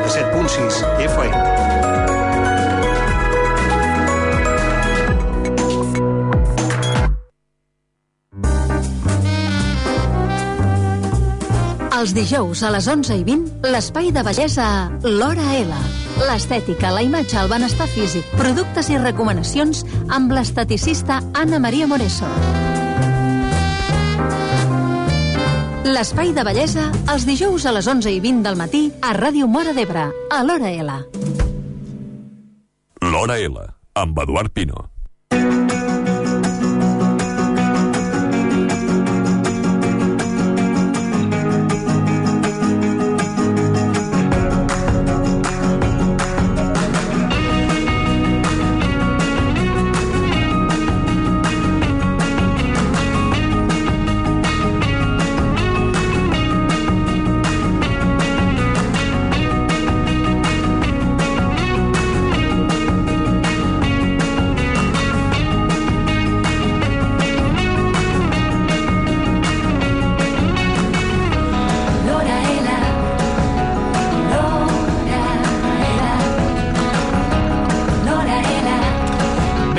97.6 FM. Els dijous a les 11:20, l'espai de bellesa L'Hora L. L'estètica, la imatge, el benestar físic, productes i recomanacions amb l'esteticista Anna Maria Moreso. L'espai de bellesa els dijous a les 11:20 del matí a Ràdio Móra d'Ebre, a L'Hora L. L'Hora L, amb Eduard Pino.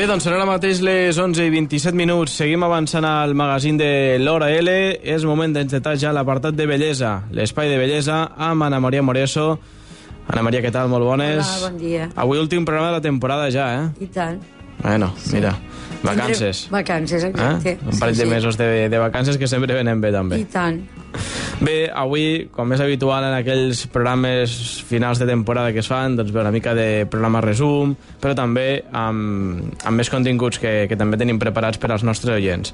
Doncs són ara mateix les 11:27. Seguim avançant al magazín de l'Hora L. És moment d'encetar ja l'apartat de bellesa, l'espai de bellesa amb Anna Maria Moreso. Anna Maria, què tal? Molt bones. Hola, bon dia. Avui últim programa de la temporada ja, eh? I tant. Bueno, mira, vacances. Vacances, exacte. Un parell de mesos de vacances que sempre venen bé, també. I tant. Bé, avui, com és habitual en aquells programes finals de temporada que es fan, doncs bé, una mica de programa resum, però també amb més continguts que també tenim preparats per als nostres oients.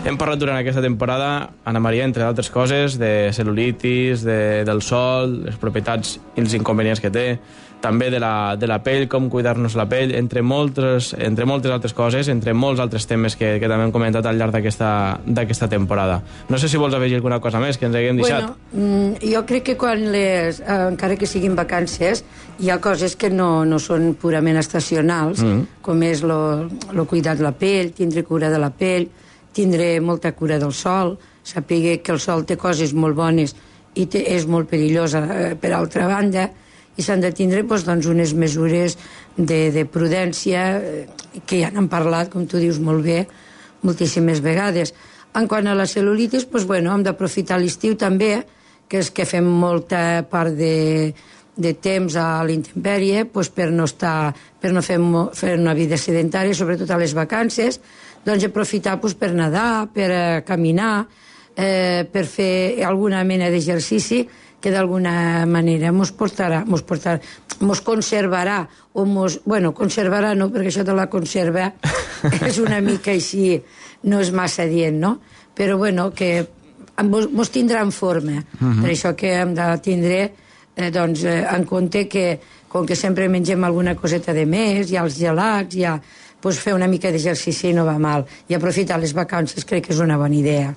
Hem parlat durant aquesta temporada, Anna Maria, entre altres coses, de cel·lulitis, del sol, les propietats i els inconvenients que té, també de la pell, com cuidar-nos la pell, entre moltes altres coses, entre molts altres temes que també hem comentat al llarg d'aquesta temporada. No sé si vols afegir alguna cosa més que ens haguem deixat. Bueno, jo crec que quan encara que siguin vacances, hi ha coses que no són purament estacionals, com és el cuidar de la pell, tindre cura de la pell, tindre molta cura del sol, saber que el sol té coses molt bones i és molt perillosa per altra banda, i s'han de tindre doncs, unes mesures de prudència que ja n'han parlat, com tu dius molt bé, moltíssimes vegades. En quant a la cel·lulitis, doncs, bueno, hem d'aprofitar l'estiu també, que és que fem molta part de temps a l'intempèrie, doncs, per no fer una vida sedentària, sobretot a les vacances, doncs aprofitar doncs, per nedar, per caminar, per fer alguna mena d'exercici que d'alguna manera mos conservarà, conservarà no, perquè això de la conserva és una mica així, no és massa dient, no? Però bueno, que mos tindrà en forma. Per això que hem de tindre en compte que, com que sempre mengem alguna coseta de més, hi ha els gelats, fer una mica d'exercici no va mal. I aprofitar les vacances crec que és una bona idea.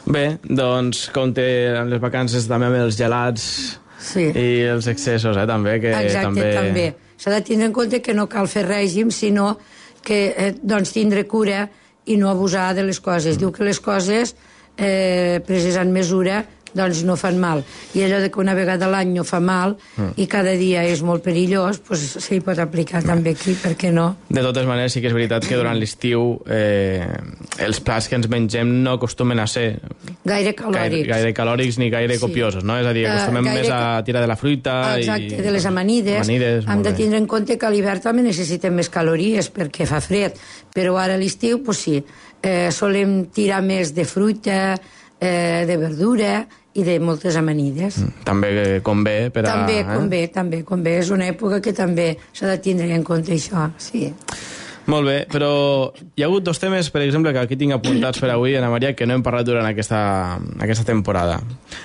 Bé, doncs compte amb les vacances també amb els gelats i els excessos, també. Exacte, també. S'ha de tindre en compte que no cal fer règim, sinó que tindre cura i no abusar de les coses. Diu que les coses preses en mesura doncs no fan mal. I allò de que una vegada a l'any no fa mal i cada dia és molt perillós, doncs s'hi pot aplicar també aquí, per què no? De totes maneres, sí que és veritat que durant l'estiu els plats que ens mengem no acostumen a ser gaire calòrics ni gaire copiosos, no? És a dir, acostumem més a tirar de la fruita. Exacte, de les amanides. Hem de tindre en compte que a l'hivern també necessitem més calories perquè fa fred, però ara a l'estiu, doncs sí, solem tirar més de fruita, de verdura i de moltes amanides. També convé per a... També convé. És una època que també s'ha de tindre en compte això, sí. Molt bé, però hi ha hagut dos temes, per exemple, que aquí tinc apuntats per avui, Anna Maria, que no hem parlat durant aquesta temporada.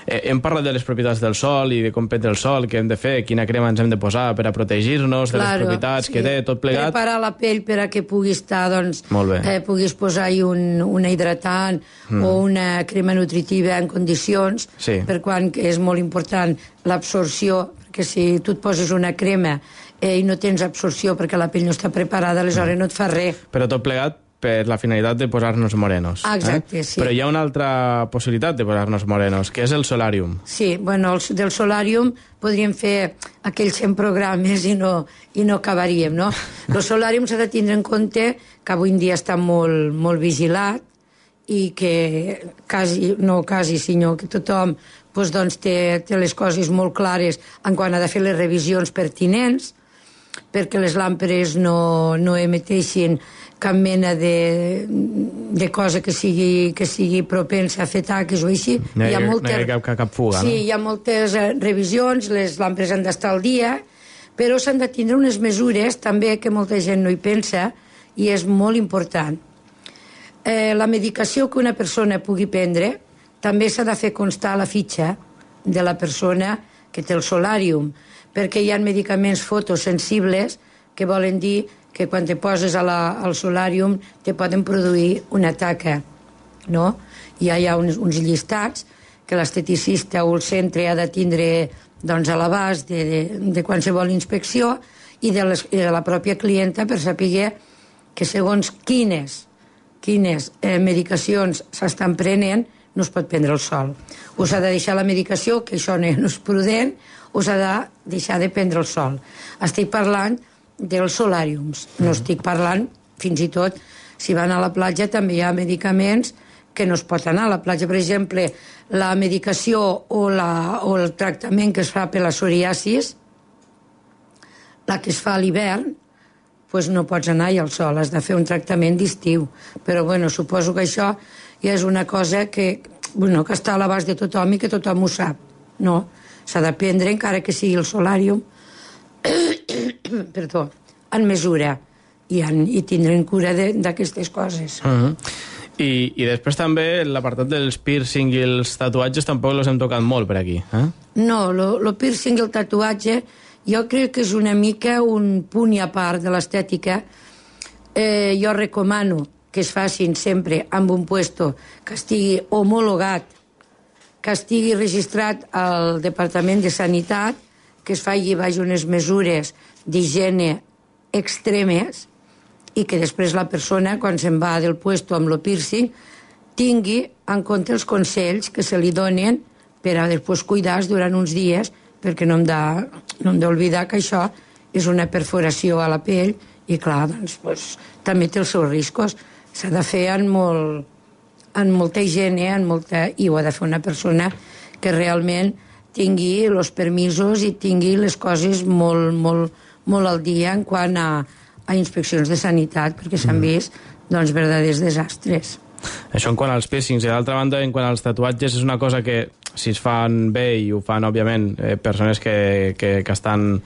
Hem parlat de les propietats del sol i de com prendre el sol, què hem de fer, quina crema ens hem de posar per a protegir-nos de les propietats que té, tot plegat. Preparar la pell per a que pugui estar, doncs, puguis posar-hi una hidratant o una crema nutritiva en condicions, per quan és molt important l'absorció, perquè si tu et poses una crema i no tens absorció perquè la pell no està preparada, aleshores no et fa res. Però tot plegat per la finalitat de posar-nos morenos. Exacte, sí. Però hi ha una altra possibilitat de posar-nos morenos, que és el solàrium. Sí, bueno, del solàrium podríem fer aquells 100 programes i no acabaríem, no? El solàrium s'ha de tindre en compte que avui en dia està molt vigilat i que sinó que tothom doncs, té les coses molt clares en quan ha de fer les revisions pertinents, perquè les làmperes no emeteixin cap mena de cosa que sigui propensa a fer taques o així. No hi ha cap fuga, no? Sí, hi ha moltes revisions, les làmperes han d'estar al dia, però s'han de tindre unes mesures també que molta gent no hi pensa i és molt important. La medicació que una persona pugui prendre també s'ha de fer constar a la fitxa de la persona que té el solàrium, perquè hi ha medicaments fotosensibles que volen dir que quan te poses al solàrium te poden produir una taca, no? Ja hi ha uns llistats que l'esteticista o el centre ha de tindre doncs, a l'abast de qualsevol inspecció i de la pròpia clienta per saber que segons quines medicacions s'estan prenent no es pot prendre el sol. O s'ha de deixar la medicació, que això no és prudent, o s'ha de deixar de prendre el sol. Estic parlant dels solàriums. No estic parlant, fins i tot, si van a la platja també hi ha medicaments que no es pot anar a la platja. Per exemple, la medicació o el tractament que es fa per la psoriasis, la que es fa a l'hivern, doncs no pots anar-hi al sol, has de fer un tractament d'estiu. Però, bueno, suposo que això ja és una cosa que està a l'abast de tothom i que tothom ho sap. No, s'ha de prendre, encara que sigui el solàrium, perdó, en mesura i tindrem cura d'aquestes coses. I després també l'apartat dels piercing i els tatuatges tampoc els hem tocat molt per aquí. No, el piercing i el tatuatge jo crec que és una mica un punt i a part de l'estètica. Jo recomano que es facin sempre amb un puesto que estigui homologat, que estigui registrat al Departament de Sanitat, que es faci unes mesures d'higiene extremes i que després la persona, quan se'n va del puesto amb el piercing, tingui en compte els consells que se li donen per a després cuidar-se durant uns dies, perquè no hem d'oblidar que això és una perforació a la pell i, clar, doncs, també té els seus riscos. S'ha de fer amb molta higiene, i ho ha de fer una persona que realment tingui els permisos i tingui les coses molt al dia en quant a inspeccions de sanitat, perquè s'han vist verdaders desastres. Això en quant als piercings. I d'altra banda, en quant als tatuatges, és una cosa que si es fan bé i ho fan, òbviament, persones que estan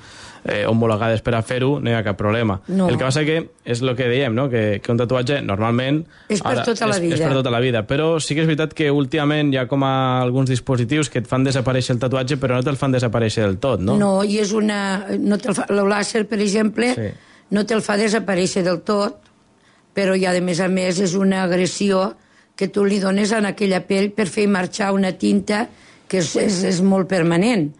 homologades per a fer-ho, no hi ha cap problema. No. El que passa que és el que dèiem, no? Que un tatuatge normalment és per tota la vida. És per tota la vida, però sí que és veritat que últimament hi ha com alguns dispositius que et fan desaparèixer el tatuatge, però no te'l fan desaparèixer del tot, no? No, i és el làser, per exemple, sí, no te'l fa desaparèixer del tot, però ja, de més a més, és una agressió que tu li dones a aquella pell per fer marxar una tinta que és molt permanent.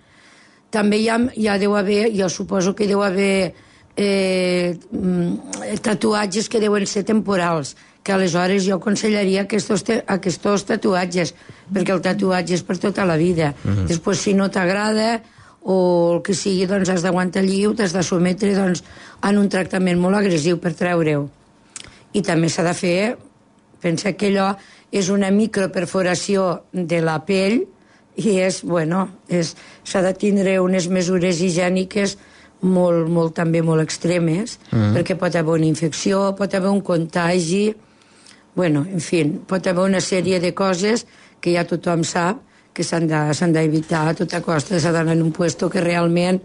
També ja deu haver, jo suposo que deu haver tatuatges que deuen ser temporals, que aleshores jo aconsellaria aquests tatuatges, perquè el tatuatge és per tota la vida. Després, si no t'agrada o el que sigui, doncs has d'aguantar el lliu, t'has de sometre en un tractament molt agressiu per treure-ho. I també s'ha de fer, pensa que allò és una microperforació de la pell i s'ha de tindre unes mesures higièniques també molt extremes, perquè pot haver una infecció, pot haver un contagi, en fi, pot haver una sèrie de coses que ja tothom sap que s'han d'evitar a tota costa. S'ha d'anar en un puesto que realment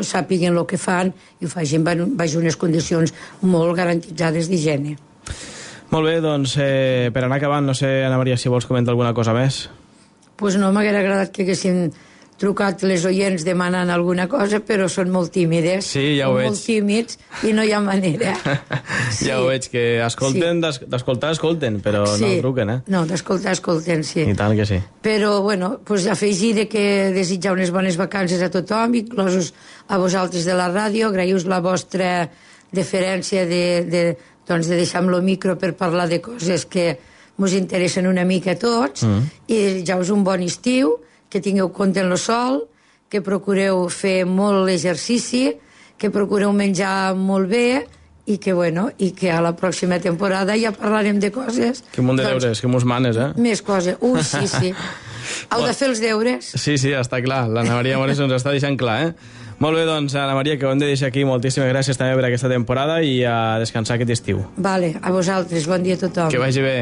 sàpiguen el que fan i ho facin baix unes condicions molt garantitzades d'higiene. Molt bé, doncs per anar acabant, no sé, Ana Maria, si vols comentar alguna cosa més. Doncs no, m'hauria agradat que haguessin trucat les oients demanant alguna cosa, però són molt tímides. Sí, ja ho veig. Molt tímids i no hi ha manera. Sí. Ja ho veig, que escolten, sí, d'escoltar escolten, però sí, no truquen, No, d'escoltar escolten, sí. I tant que sí. Però, afegir que desitjar unes bones vacances a tothom, inclosos a vosaltres de la ràdio, agraïu la vostra deferència de doncs, de deixar amb el micro per parlar de coses que ens interessen una mica a tots, i ja us un bon estiu, que tingueu compte en el sol, que procureu fer molt exercici, que procureu menjar molt bé, i que, bueno, i que a la pròxima temporada ja parlarem de coses. Que munt de deures, que mos manes, Més coses. Sí. Heu de fer els deures. Sí, està clar. L'Anna Maria Mores ens està deixant clar, Molt bé, doncs, Anna Maria, que ho hem de deixar aquí. Moltíssimes gràcies també per aquesta temporada i a descansar aquest estiu. Vale, a vosaltres. Bon dia a tothom. Que vagi bé.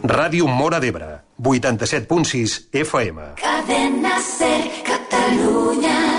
Ràdio Móra d'Ebre, 87.6 FM. Cadena Ser, Catalunya.